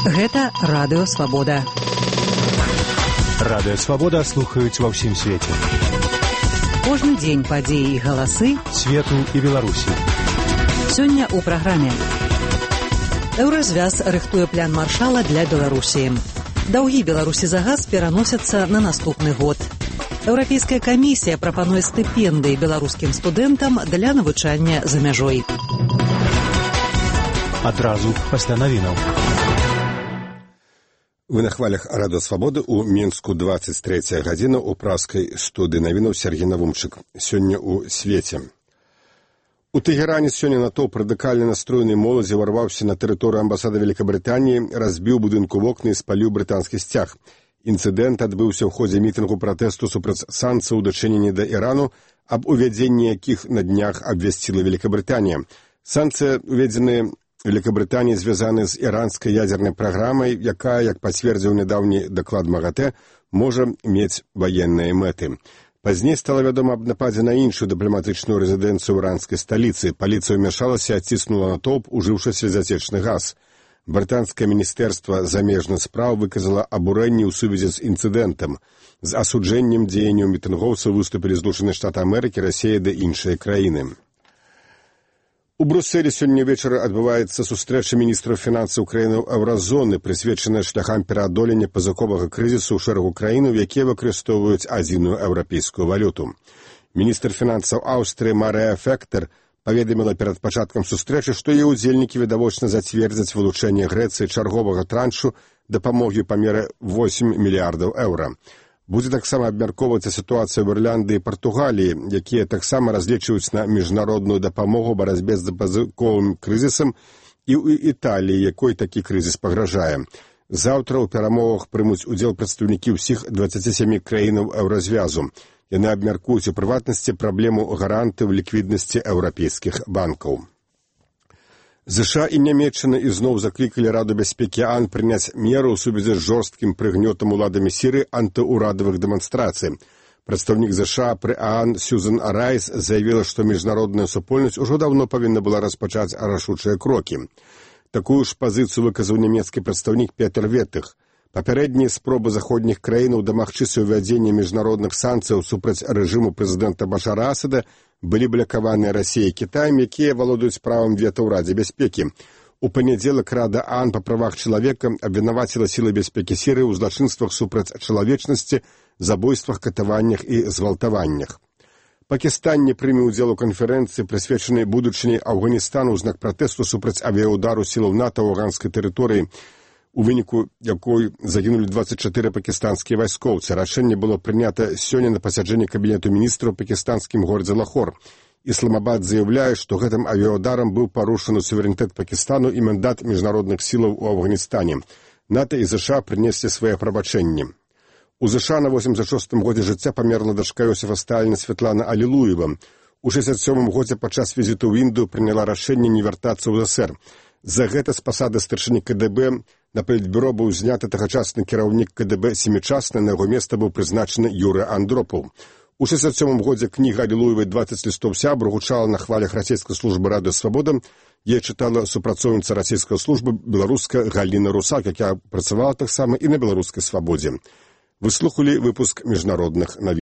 Гэта Радыё Свабода. Радыё Свабода слухаюць ва ўсім свеце. Кожны дзень падзеі і галасы свету і Беларусі. Сёння ў праграме. Еўразвяз рыхтуе план маршала для Беларусі. Даўгі Беларусі за газ пераносяцца на наступны год. Еўрапейская камісія прапануе стыпендыі беларускім студэнтам для навучання за мяжой. Адразу пасля навінаў. Вы на хвалях Радыё Свабоды ў Мінску 23 гадзіна ў праскай студыі навінаў Сергей Навумчык. Сёння ў свеце. У Тэгеране сёння натоўп радыкальна настроенай моладзі ўварваўся на тэрыторыю амбасады Вялікабрытаніі, разбіў будынку вокны і спаліў брытанскі сцяг. Інцыдэнт адбыўся ў ходзе мітынгу пратэсту супраць санкцый у дачыненні да Ірану, аб увядзенні якіх на днях абвясціла Вялікабрытанія. Санкцыі, уведзеныя Великобритании звязаны з іранскай ядзернай праграмай, якая, як пацвердзіў нядаўні даклад МАГАТЭ, можа мець ваенныя мэты. Пазней стала вядома аб нападзе на іншую дыпламатычную рэзідэнцыю іранскай сталіцы. Паліцыя ўмяшалася і адціснула натоўп, ужыўшы слезацечны газ. Брытанскае міністэрства замежных спраў выказала абурэнне ў сувязі з інцыдэнтам. З асуджэннем дзеянняў мітынгоўцаў выступілі Злучаныя Штаты Амерыкі, Расія ды іншыя краіны. У Брусэлі сёння вечара адбываецца сустрэча міністраў фінансаў краінаў еўразоны, прысвечаная шляхам пераадолення пазыковага крызісу ў шэрагу краінаў, якія выкарыстоўваюць адзіную еўрапейскую валюту. Міністр фінансаў Аўстрыі Марыя Фектер паведаміла перад пачаткам сустрэчы, што яе ўдзельнікі відавочна зацвердзяць вылучэнне Грэцыі чарговага траншу дапамогі па меры 8 мільярдаў еўра. Будзе таксама абмяркоўвацца сітуацыя ў Ірландыі і Партугаліі, якія таксама разлічваюць на міжнародную дапамогу ў барацьбе з пазыковым крызісам, і ў Італіі, якой такі крызіс пагражае. Заўтра ў перамовах прымуць удзел прадстаўнікі ўсіх 27 краінаў еўразвязу. Яны абмяркуюць у прыватнасці праблему гарантыў ліквіднасці еўрапейскіх банкаў. ЗША і Нямецчына ізноў заклікалі Раду бяспекі ААН прыняць меры ў сувязі з жорсткім прыгнётам уладамі Сірыі антыурадавых дэманстрацый. Прадстаўнік ЗША пры ААН Сьюзан Райс заявіла, што міжнародная супольнасць ужо даўно павінна была распачаць рашучыя крокі. Такую ж пазіцыю выказаў нямецкі прадстаўнік Петер Ветых. Папярэднія спробы заходніх краінаў дамагчыся ўвядзення міжнародных санкцыяў супраць рэжыму прэзідэнта Башара Асада былі блакаваныя Расіяй і Кітаем, якія валодаюць правам вета ў Радзе бяспекі. У панядзелак Рада ААН па правах чалавека абвінаваціла сілы бяспекі Сірыі ў злачынствах супраць чалавечнасці, забойствах, катаваннях і згвалтаваннях. Пакістан не прыме ўдзел у канферэнцыі, прысвечанай будучыні Афганістану ў знак пратэсту супраць авіяўдару сілаў НАТО ў афганскай тэрыторыі, у выніку якой загінулі 24 пакістанскія вайскоўцы. Рашэнне было прынята сёння на пасяджэнні кабінету міністраў пакістанскім горадзе Лахор. Ісламабад заяўляе, што гэтым авіяўдарам быў парушаны суверэнітэт Пакістану і мандат міжнародных сілаў у Афганістане. НАТО і ЗША прынеслі свае прабачэнні. У ЗША на 86-м годзе жыцця памерла дачка Йосіфа Сталіна Святлана Алілуева. У 67-м годзе падчас візіту ў Індыю прыняла рашэнне не вяртацца ў ЗСР. За гэта з пасады старшыні КДБ на палітбюро быў зняты тагачасны кіраўнік КДБ Семічасны, на яго месца быў прызначаны Юрый Андропаў. У 67-м годзе кніга Алілуевай «20 лістоў сябру» гучала на хвалях расійскай службы Радыё Свабода. Яе чытала супрацоўніца расійскай службы беларуска Галіна Русак, якая працавала таксама і на беларускай свабодзе. Вы слухалі выпуск міжнародных навін.